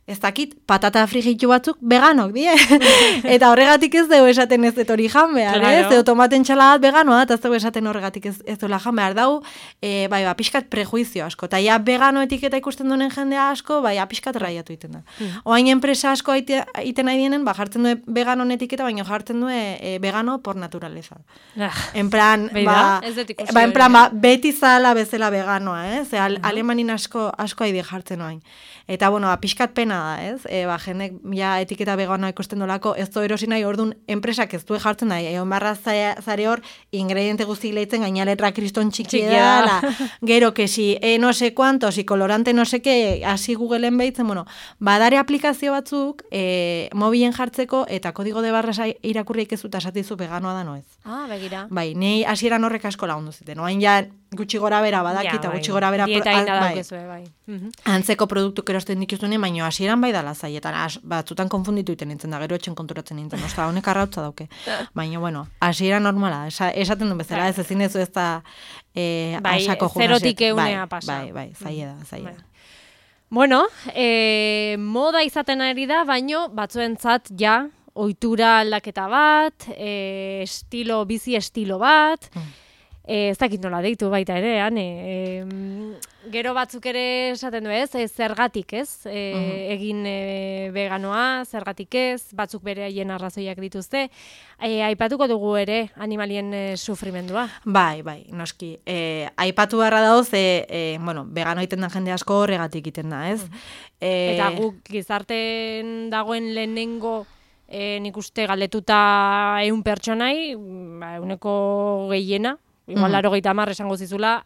Speaker 3: Ez dakit, patata frigitu batzuk veganok, die. Eta horregatik ez dugu esaten ez dut hori jan behar, ez? Edo tomaten txaladat veganoa, eta ez dugu esaten horregatik ez duela jan behar. Dau, pixkat prejuizio asko. Eta ja vegano etiketa ikusten duen jendea asko, pixkat raiatu iten da. Oain enpresa asko iten nahi dienen, jartzen du veganon etiketa, baina jartzen du vegano por naturaleza. En plan, beti zala bezala veganoa, Alemanin asko haide jartzen oain. Eta, pixkat pena da, ez? Jendek ja etiketa veganoa ikusten dolako, ez du erosi nahi, orduan enpresak ez du jartzen nahi, egon barra zare hor, ingrediente guztik lehitzen, gaina letra kriston txikia da, gero kesi, no se cuantos, kolorante no se que, hasi Googleen behitzen, bueno, badare aplikazio batzuk, mobilen jartzeko, eta kodigo de barra irakurriak ez dut asatizu veganoa da noez.
Speaker 2: Begira.
Speaker 3: Bai, nei hasieran horrek asko lagundu ziten, oain ja gutxi gora bera badakita, gutxi gora bera...
Speaker 2: Dieta inda daukezue, bai.
Speaker 3: Antzeko produktuk erosten dituzune, baina hasieran bai dala zaietan, batzutan konfunditu iten nintzen da, gero etxen konturatzen nintzen, ostra, honek arrautza dauke. Baina, bueno, hasieran normala, esaten duen bezala, ez ezin dezu ez da asako
Speaker 2: junaset. Zerotik eunea pasa.
Speaker 3: Bai, zaie da.
Speaker 2: Bueno, moda izaten ari da, baino batzuentzat ja, ohitura aldaketa bat, bizi estilo bat, ez dakit nola deitu baita ere, gero batzuk ere esaten du ez, zergatik ez, egin veganoa, zergatik ez, batzuk bere haien arrazoiak dituzte, aipatuko dugu ere animalien sufrimendua.
Speaker 3: Bai, noski. Aipatu beharra dauz, vegano egiten den jende asko horregatik egiten da, ez?
Speaker 2: Eta guk gizarten dagoen lehenengo nik uste galdetuta 100 pertsonai, 100 gehiena, igual 80 esango zizula,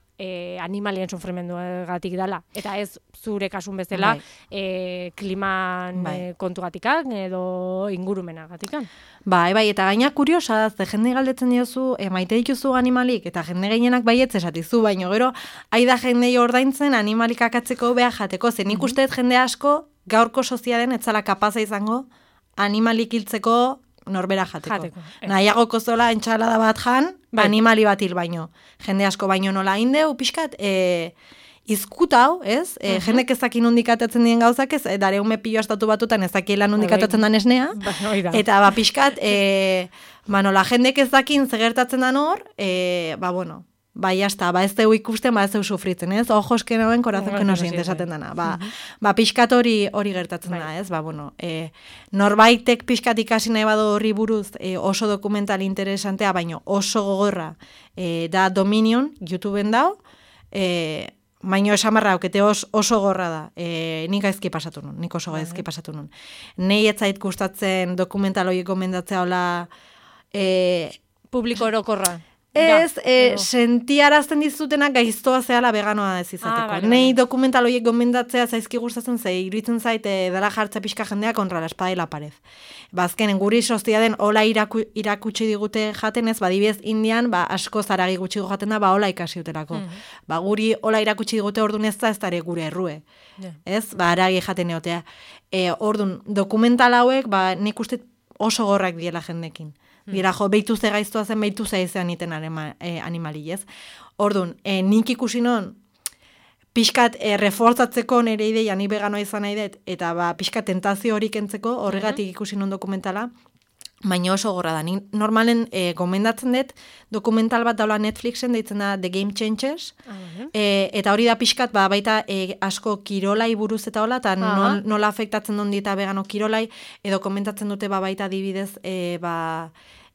Speaker 2: animalien sufrimenduagatik dela. Eta ez zure kasun bezala kliman kontugatikak edo ingurumenagatikan.
Speaker 3: Bai, eta gaina kuriosa da, jende galdetzen diozu, maite dituzu animalik, eta jende gehienak baietz esatizu, baino gero, aida jendei ordaintzen animalik akatzeko beha jateko, zen nik usteet jende asko gaurko sozialen etzala kapaza izango animalik hiltzeko norbera jateko. Nahiago kozola entxalada bat jan, animali bat hil baino. Jende asko baino nola indeu, pixkat, izkutau, ez? Jendek ezaki nondik atatzen dien gauzak ez, dare ume pilo astatu batutan ezakiela nondik atatzen dan esnea. Eta pixkat, nola jendek ezakin zegertatzen dan hor, bueno, bai, hasta, ez deu ikusten, ez deu sufritzen, ez? Ojos que noen, corazón que no siente esaten dana. Pixkat hori gertatzen da, ez? Bueno, norbaitek pixkat ikasi nahi badu horri buruz oso dokumental interesantea, baino oso gogorra da Dominion, YouTubeen dau, baino esamarra aukete oso gorra da. Nik gaizki pasatu nun, nik oso gaizki pasatu nun. Nei etzait gustatzen dokumental horiek gomendatzea hola...
Speaker 2: Publiko orokorra.
Speaker 3: Ez, sentiarazten dizutenak gaiztoa zehala veganoa ez izateko. Nei dokumental horiek gomendatzea zaizki gustatzen iruditzen zait dela jartza pixka jendea kontra la espada y la pared. Bazkenen guri sozia den hola irakutsi digute jaten ez, badibidez Indian, asko zaragi gutxi jaten da, hola ikasi utelako. Guri hola irakutsi digute ordun ez dare gure errue. Ez, aragi jaten eotea. Ordun, dokumental hauek, nik uste oso gorrak diela jendekin. Dira, behitu ze gaiztoa zen, behitu ze izan iten animali, ez? Orduan, nik ikusi non, pixkat reforzatzeko nire ideia, ni veganoa izan nahi dut, eta pixkat tentazio hori kentzeko, horregatik ikusi non dokumentala, baina oso gorra da. Ni normalen gomendatzen dut, dokumental bat daula Netflixen, deitzen da The Game Changers, eta hori da pixkat, baita asko kirolai buruz eta hola, eta nola afektatzen duen dieta vegano kirolai, edo komentatzen dute baita adibidez,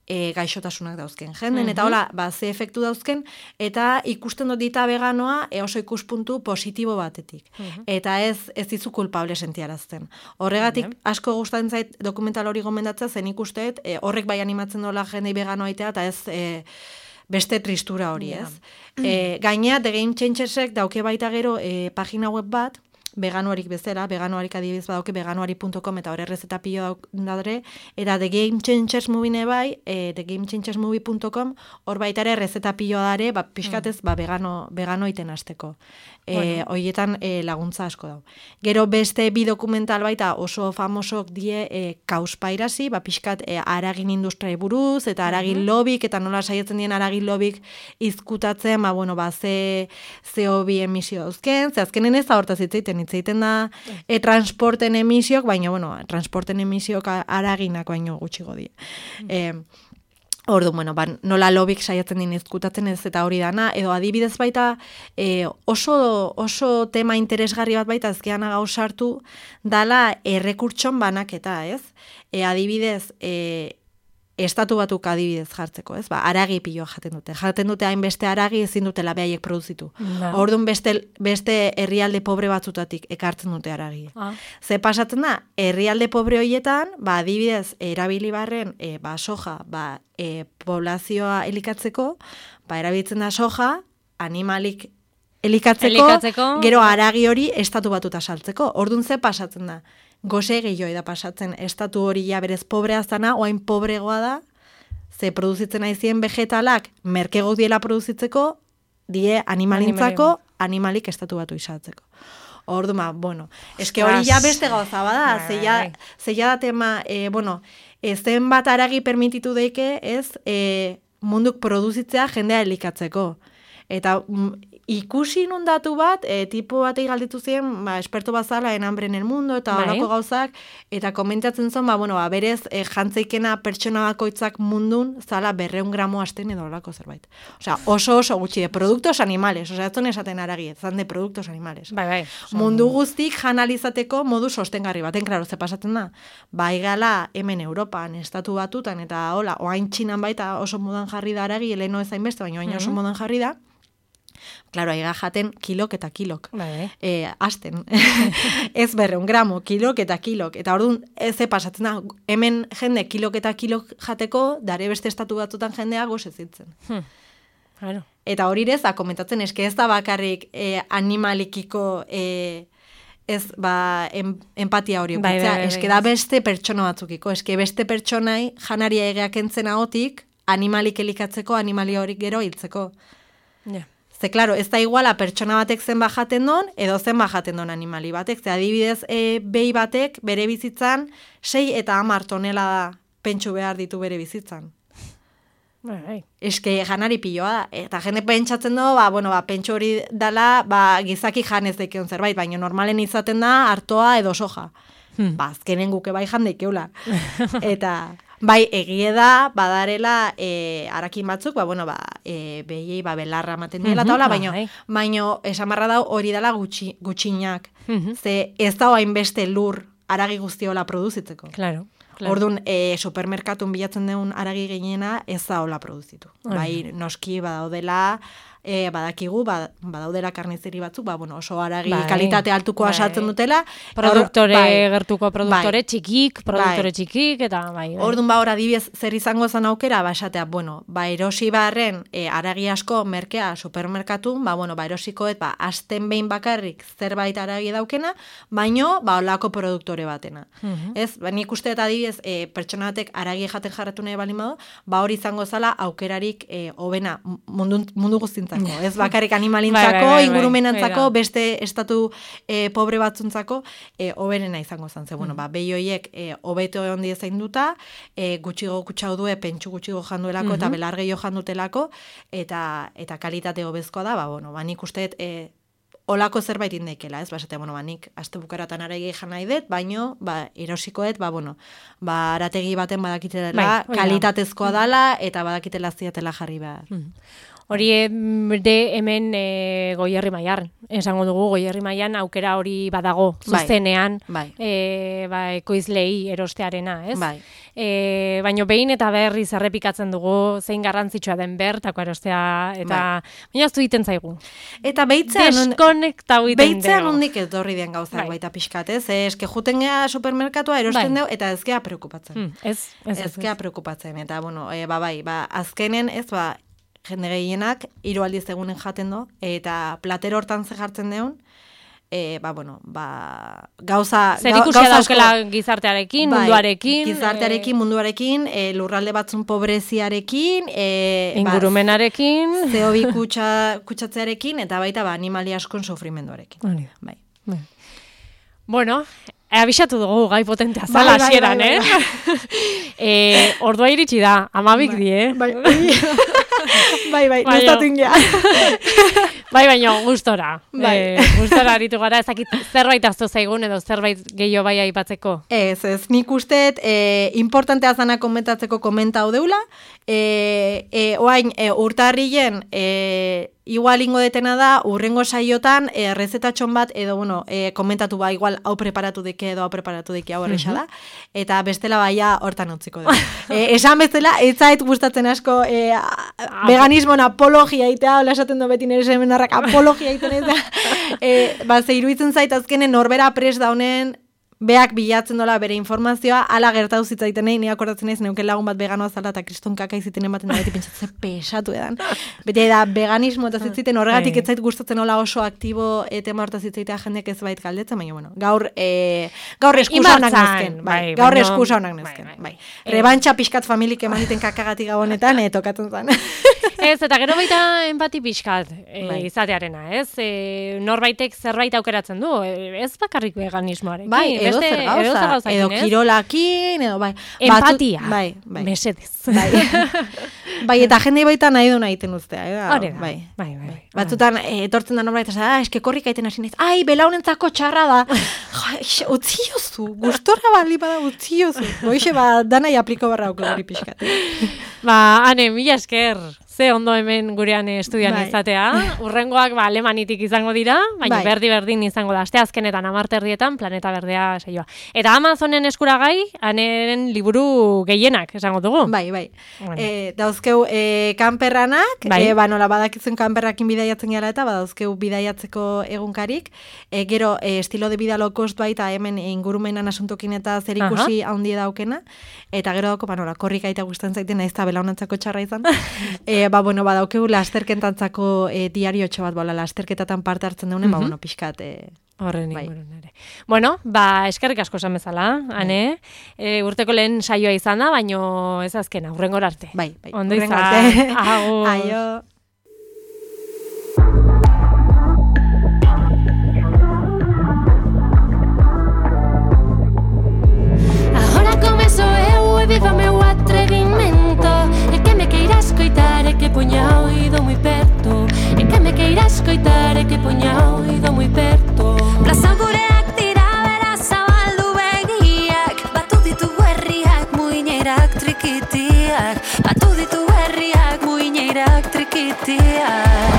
Speaker 3: gaixotasunak dauzken jenden, eta hola, ze efektu dauzken, eta ikusten dut dita veganoa oso ikuspuntu positibo batetik. Eta ez dizu kulpable sentiarazten. Horregatik, asko gustatzen zait dokumental hori gomendatzea, zen ikusteet, horrek bai animatzen dola jendei veganoa itea, eta ez beste tristura hori, ez. Gainea, The Game Changersek dauke baita gero pagina web bat, veganoarik bezala, veganoarik adibidez badauke veganoari.com eta hori errezeta pilo daudre, eta The Game Changers Movie bai, thegamechangersmovie.com, hor baita ere errezeta pilo dare, pixkatez vegano iten hasteko. Horietan laguntza asko dau. Gero beste bi dokumental baita oso famosok die Cowspiracy, pixkat haragin industria buruz, eta haragin lobik, eta nola saietzen dien haragin lobik izkutatzen, ze CO2 emisio dauzken, ze azkenen ez da hortaz hitzeiten da transporten emisiok, baina, transporten emisiok haraginak baino gutxigo die. Orduan, nola lobik saiatzen din izkutatzen ez eta hori dana, edo adibidez baita oso tema interesgarri bat baita ezkeana gauzartu dala errekurtson banaketa, ez? Adibidez, estatu batuk adibidez jartzeko, ez? Ba, aragi piloa jaten dute. Jaten dute hainbeste aragi ezin dutela behaiek produzitu. Orduan beste herrialde pobre batzutatik ekartzen dute aragi. Ze pasatzen da, herrialde pobre horietan, ba, adibidez, erabili barren, ba, soja, ba, poblazioa elikatzeko, ba, erabiltzen da soja, animalik elikatzeko, gero aragi hori estatu batuta saltzeko. Orduan ze pasatzen da? Gose gehioi da pasatzen, estatu hori ja berez pobrea zana, oain pobregoa da, ze produzitzen aizien vegetalak, merkego diela produzitzeko, die animalintzako, animalik estatu batu isaltzeko. Orduan, bueno, eske hori ja beste gauza bada, zeia da tema, bueno, zen bat aragi permititu deike, ez, munduk produzitzea jendea elikatzeko. Eta ikusi nundatu bat, tipo batei galditu ziren, ba, esperto bazala en hambre en el mundo, eta horako gauzak, eta komentatzen zon, ba, bueno, ba, berez, jantzeikena pertsona bakoitzak mundun, zala 200 gramo asten edo horako zerbait. Osea, oso gutxi de productos animales, osea, ez esaten aragi, zan de productos animales.
Speaker 2: Bai.
Speaker 3: Mundu guztik janalizateko modu sostengarri baten, klaro, ze pasatzen da, bai gala hemen Europan, estatu batutan, eta hola, oain Txinan baita oso modan jarri da aragi, heleno ezain beste, baina oain oso modan jarri da. Claro, aiga jaten kilok eta kilok. Asten. Ez 200 gramo, kilok eta kilok. Eta orduan, ze pasatzen da, hemen jende kilok eta kilok jateko, dare beste estatu batzutan jendea gozezitzen.
Speaker 2: Claro.
Speaker 3: Eta hori ez da, komentatzen, eske ez da bakarrik animalikiko ez, ba, empatia hori okitzea. Eske da beste pertsona batzukiko. Eske beste pertsonai janaria egeak entzen ahotik, animalik elikatzeko, animali hori gero hiltzeko. Ze, klaro, ez da iguala pertsona batek zen bajaten don, edo zen bajaten don animali batek. Ze, adibidez, behi batek bere bizitzan 6 eta 10 tonelada pentsu behar ditu bere bizitzan. Eske janari piloa da. Eta jende pentsatzen du, ba, bueno, ba, pentsu hori dala, ba, gizaki janez daikeon zerbait, baina normalen izaten da hartoa edo soja. Ba, azkenen guke bai jandeikeula. Eta... Bai, egie da, badarela arakin batzuk, ba, bueno, ba, behiei, ba, belarra ematen diela, taula, baino, esamarra dau hori dela gutxinak. Ze ez da hainbeste lur aragi guztiola produzitzeko.
Speaker 2: Claro.
Speaker 3: Orduan, supermerkatun bilatzen deun aragi gehiena ez da hola produzitu. Bai, noski badaudela, badakigu, badaudela karnizeri batzuk, ba, bueno, oso aragi kalitate altuko asaltzen dutela.
Speaker 2: Gertuko produktore txikik, eta bai.
Speaker 3: Orduan, ba, hor adibidez zer izango zen aukera, ba, esatea, bueno, ba, erosi barren aragi asko merkea supermerkatun, ba, bueno, ba, erosikoet, ba, asten behin bakarrik zerbait aragi daukena, baino, ba, olako produktore batena. Ez, ba, nik uste eta adibidez, pertsona batek aragi jaten jarratu nahi balin badu, ba, hori izango zala aukerarik hobena mundu guztintzako. Ez bakarrik animalintzako, ingurumenantzako, beste estatu pobre batzuntzako, hoberena izango zen. Ze, bueno, ba, behi horiek hobeto ondi zainduta, gutxigo kutsau due, pentsu gutxigo janduelako, eta belar gehiago jandutelako, eta kalitate hobezkoa da, ba, bueno, ba, nik usteet, olako zerbait indekela, ez? Ba, esatea, bueno, ba, nik aste bukaratan aragi jan nahi dut, baino, ba, erosikoet, ba, bueno, ba, arategi baten badakitela, kalitatezkoa dala, eta badakitela ziatela jarri behar.
Speaker 2: Hori hemen Goierri Mailan, esango dugu Goierri Mailan aukera hori badago zuzenean, ekoizlei erostearena, ez? Baina behin eta berriz errepikatzen dugu zein garrantzitsua den bertako erostea, eta baina aztu egiten zaigu. Eta deskonektau egiten dugu.
Speaker 3: Beitzean hondik etorri den gauzak baita pixkat, ez? Eske juten gea supermerkatua erosten dugu, eta ez gea preokupatzen. Ez gea preokupatzen, eta, bueno, azkenen, ez, ba, jende gehienak, 3 aldiz egunen jaten du, eta platero hortan ze jartzen deun, ba, bueno, ba, gauza...
Speaker 2: Zer ikusia daukela gizartearekin, munduarekin...
Speaker 3: Gizartearekin, munduarekin, lurralde batzun pobreziarekin...
Speaker 2: Ingurumenarekin...
Speaker 3: CO2 kutsatzearekin, eta baita, ba, animali askon sofrimenduarekin. Bai.
Speaker 2: Bueno... Abisatu dugu gai potentea zala hasieran, Ordua iritsi da, 12 die,
Speaker 3: Bai, noztatu ingea.
Speaker 2: Baina gustora. Gustora aritu gara, ezakit zerbait azto zaigun edo zerbait gehiago bai aipatzeko.
Speaker 3: Ez, nik usteet importantea zana komentatzeko komenta hau deula. Oain, urtarrien igual ingo detena da, urrengo saiotan, rezetatxon bat, edo, bueno, komentatu ba, igual, hau preparatu deke, edo hau preparatu deke, hau erresa da, eta bestela baia hortan utziko da. Esan bestela, ez zait gustatzen asko veganismoan apologia itea, hola esaten do beti nire seminarrak apologia iten ez da, ze iruditzen zait azkenen norbera pres da honen, beak bilatzen dola bere informazioa, ala gertatu zitzaiten nahi, ni akordatzen naiz, neuken lagun bat veganoa zala eta kriston kaka iziten ematen da beti pentsatzen pesatu edan. Beti da veganismo eta zitziten horregatik ez zait gustatzen hola oso aktibo tema horta zitzaitea jendeak ez bait galdetzen, baina bueno, gaur eskusa honak nezken, gaur eskusa honak nezken, bai. Rebantxa pixkat familik eman diten kakagatik gau honetan, tokatzen zen.
Speaker 2: Ez, eta gero baita empati pixkat izatearena, ez? Norbaitek zerbait aukeratzen du, ez bakarrik veganismoarekin.
Speaker 3: Bai, edo zer gauza, edo kirolakin, edo bai.
Speaker 2: Empatia,
Speaker 3: bai.
Speaker 2: Mesedez.
Speaker 3: Bai, eta jende baita nahi du nahiten uztea.
Speaker 2: Bai.
Speaker 3: Batzutan, etortzen da norbait, eske korrika aiten hasi naiz, ai, belaunentzako txarra da. Utzi jozu, gustorra bali bada utzi jozu. Boixe, danai apliko barra auko gari pixkat.
Speaker 2: Ane, mila esker. Ze ondo hemen gurean estudian izatea. Urrengoak alemanitik izango dira, baina berdin izango da. Asteazkenetan 10:00 Planeta Berdea saioa. Eta Amazonen eskuragai, Aneren liburu gehienak esango dugu.
Speaker 3: Bai. Bueno. Dauzkeu kanperranak, nola badakitzen kanperrakin bidaiatzen gara eta badauzkeu bidaiatzeko egunkarik. Gero estilo de vida low cost baita hemen ingurumenan asuntokin eta zer ikusi handi daukena. Eta gero dauko, nola korrika eta gustatzen zaiten naiz ta belaunantzako txarra izan. Badaukegu lasterketantzako diariotxo bat, lasterketatan parte hartzen daunen, pixkat.
Speaker 2: Horren ere. Bueno, eskerrik asko esan bezala, Ane. Urteko lehen saioa izan da, baino ez azkena, hurrengor arte.
Speaker 3: Bai.
Speaker 2: Ondo izan.
Speaker 3: Agur. Aio.
Speaker 1: Ahora começo eu e viva meu atrevimento. É que me queira escoitar, é que poña o oído moi perto. É que me queira escoitar, é que poña o oído moi perto. Plaza gureak dira bera zabaldu begiak. Batu ditu herriak, muinerak trikitiak. Batu ditu herriak, muinerak trikitiak.